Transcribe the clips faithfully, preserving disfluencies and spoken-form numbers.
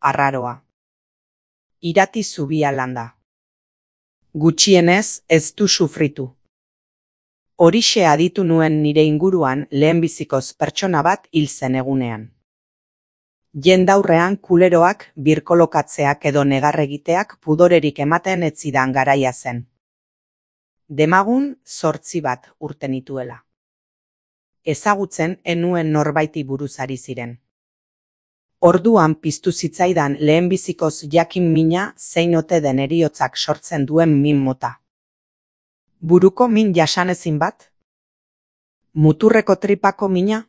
arraroa. Irati zubia landa. Gutxienez ez du sufritu. Horixe aditu nuen nire inguruan lehenbizikoz pertsona bat hil zen egunean. Jendaurrean kuleroak, birkolokatzeak edo negarregiteak pudorerik ematen ez zidan garaia zen. Demagun zortzi bat urte nituela. Ezagutzen enuen norbaiti buruz ari ziren. Orduan piztu zitzaidan lehenbizikoz jakin mina zein ote den heriotzak sortzen duen min mota. Buruko min jasanezin bat? Muturreko tripako mina?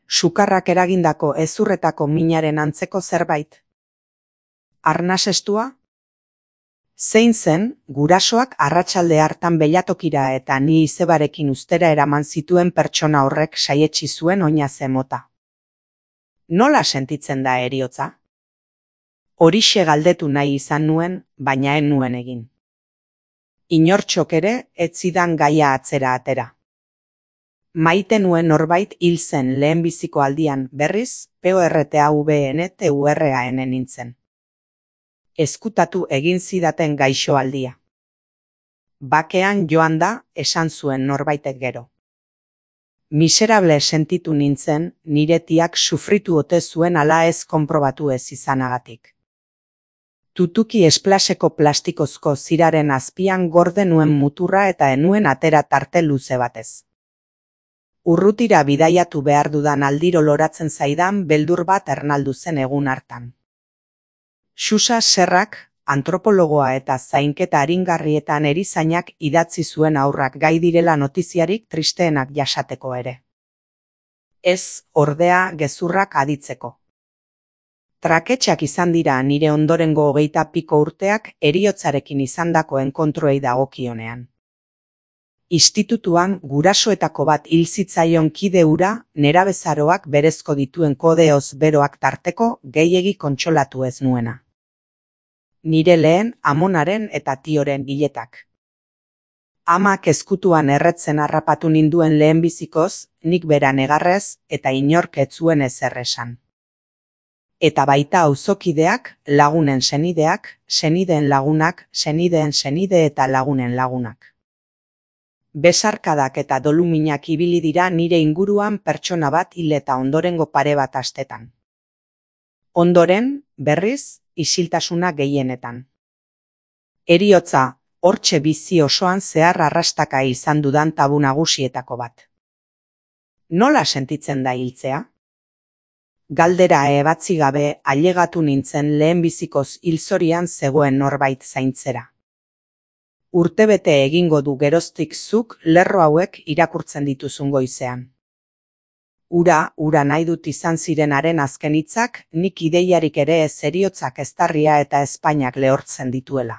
Sukarrak eragindako hezurretako minaren antzeko zerbait? Arnasestua? Zein zen, gurasoak arratsalde hartan belatokira eta ni izebarekin ustera eraman zituen pertsona horrek saietsi zuen oinaze mota. Nola sentitzen da heriotza? Horixe galdetu nahi izan nuen, baina ez nuen egin. Inortxok ere ez zidan gaia atzera atera. Maite nuen norbait hil zen lehenbiziko aldian berriz PORTAVNTURAN nintzen. Ezkutatu egin zidaten gaixo aldia. Bakean joan da, esan zuen norbaitek gero. Miserable sentitu nintzen, nire tiak sufritu ote zuen ala ez konprobatu ez izanagatik. Tutuki esplaseko plastikozko ziraren azpian gorde nuen muturra eta enuen atera tarte luze batez. Urrutira bidaiatu behar dudan aldiro loratzen zaidan beldur bat ernaldu zen egun hartan. Xuxa Serrak, antropologoa eta zainketa aringarrietan erizainak idatzi zuen haurrak gai direla notiziarik tristeenak jasateko ere. Ez, ordea, gezurrak aditzeko. Traketxak izan dira nire ondorengo hogeita piko urteak heriotzarekin izandako enkontroei dagokionean. Institutuan gurasoetako bat hil zitzaion kide hura nerabezaroak berezko dituen kodeoz beroak tarteko gehiegi kontsolatu ez nuena. Nire lehen amonaren eta tioren hiletak. Amak ezkutuan erretzen harrapatu ninduen lehenbizikoz, nik bera negarrez eta inork ez zuen ezer esan. Eta baita auzokideak, lagunen senideak, senideen lagunak, senideen senide eta lagunen lagunak. Besarkadak eta doluminak ibili dira nire inguruan pertsona bat hil eta ondorengo pare bat astetan. Ondoren, berriz, isiltasuna gehienetan. Heriotza, hortxe bizi osoan zehar arrastaka izan dudan tabu nagusietako bat. Nola sentitzen da hiltzea? Galdera ebatzi gabe ailegatu nintzen lehenbizikoz hilzorian zegoen norbait zaintzera. Urtebete egingo du geroztik zuk lerro hauek irakurtzen dituzun goizean. Ura, ura nahi dut izan zirenaren azken hitzak, nik ideiarik ere ez heriotzak eztarria eta ezpainak lehortzen dituela.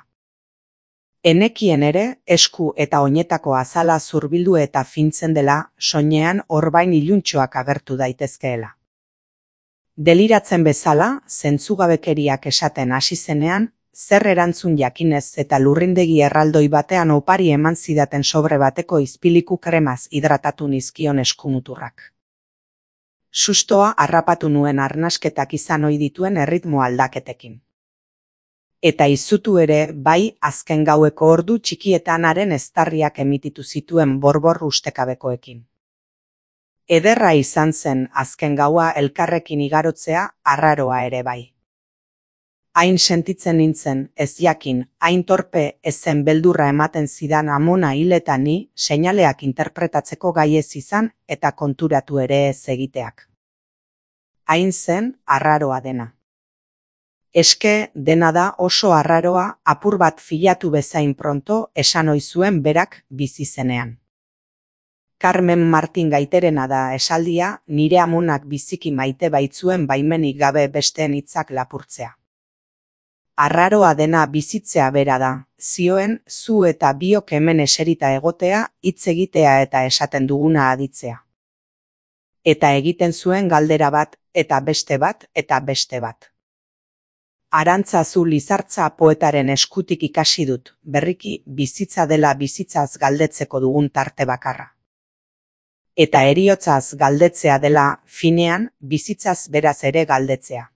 Enekien ere, esku eta oinetako azala zurbildu eta fintzen dela, soinean orbain iluntxoak agertu daitezkeela. Deliratzen bezala, zentzugabekeriak esaten hasi zenean, zer erantzun jakinez eta lurrindegi erraldoi batean opari eman zidaten sobre bateko izpiliku kremaz hidratatu nizkion eskumuturrak. Sustoa harrapatu nuen arnasketak izan ohi dituen erritmo aldaketekin. Eta izutu ere, bai azken gaueko ordu txikietan haren eztarriak emititu zituen borbor ustekabekoekin. Ederra izan zen azken gaua elkarrekin igarotzea arraroa ere bai. Hain sentitzen nintzen, ez jakin, hain torpe ezen beldurra ematen zidan amona hil eta ni, seinaleak interpretatzeko gai ez izan eta konturatu ere ez egiteak. Hain zen arraroa dena. Eske dena da oso arraroa apur bat filatu bezain pronto esan ohi zuen berak bizi zenean. Carmen Martin Gaiterena da esaldia nire amonak biziki maite baitzuen baimenik gabe besteen hitzak lapurtzea. Arraroa dena bizitzea bera da, zioen zu eta biok hemen eserita egotea, hitz egitea eta esaten duguna aditzea. Eta egiten zuen galdera bat, eta beste bat, eta beste bat. Arantzazu Lizartza poetaren eskutik ikasi dut, berriki bizitza dela bizitzaz galdetzeko dugun tarte bakarra. Eta heriotzaz galdetzea dela, finean, bizitzaz beraz ere galdetzea.